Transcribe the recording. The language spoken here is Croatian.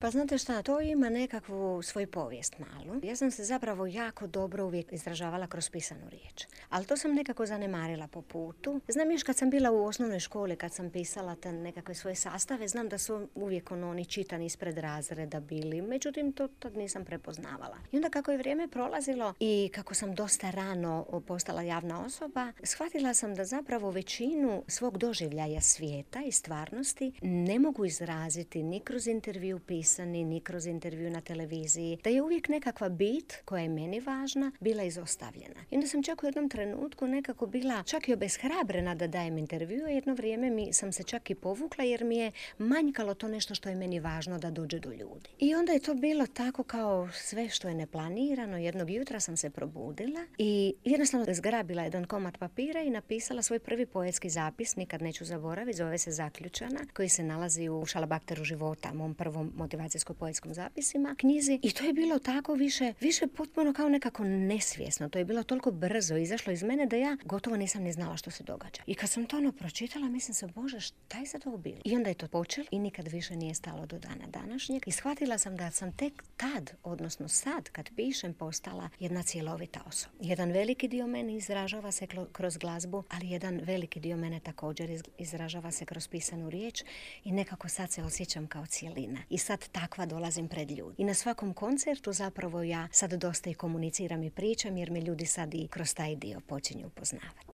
Pa znate šta, to ima nekakvu svoju povijest malu. Ja sam se zapravo jako dobro uvijek izražavala kroz pisanu riječ. Ali to sam nekako zanemarila po putu. Znam još kad sam bila u osnovnoj školi, kad sam pisala te nekakve svoje sastave, znam da su uvijek oni čitani ispred razreda bili. Međutim, to tad nisam prepoznavala. I onda kako je vrijeme prolazilo i kako sam dosta rano postala javna osoba, shvatila sam da zapravo većinu svog doživljaja svijeta i stvarnosti ne mogu izraziti ni kroz intervju pisani, ni kroz intervju na televiziji, da je uvijek nekakva bit koja je meni važna bila izostavljena. I onda sam čak u jednom trenutku nekako bila čak i obeshrabrena da dajem intervju, a jedno vrijeme sam se čak i povukla jer mi je manjkalo to nešto što je meni važno da dođe do ljudi. I onda je to bilo tako kao sve što je neplanirano. Jednog jutra sam se probudila i jednostavno zgrabila jedan komad papira i napisala svoj prvi poetski zapis, nikad neću zaboraviti, zove se Zaključana, koji se nalazi u Šalabahteru života, mom prvom motivacijsko-poetskom zapisima, knjizi. I to je bilo tako više potpuno kao nekako nesvjesno. To je bilo toliko brzo izašlo iz mene da ja gotovo nisam ni znala što se događa. I kad sam to pročitala, mislim se, Bože, šta je sad ovo bilo? I onda je to počelo i nikad više nije stalo do dana današnjeg. I shvatila sam da sam tek tad, odnosno sad, kad pišem, postala jedna cjelovita osoba. Jedan veliki dio mene izražava se kroz glazbu, ali jedan veliki dio mene također izražava se kroz pisanu riječ i nekako sad se osjećam kao cijelina. I sad takva dolazim pred ljudi. I na svakom koncertu zapravo ja sad dosta i komuniciram i pričam jer me ljudi sad i kroz taj dio počinju upoznavati.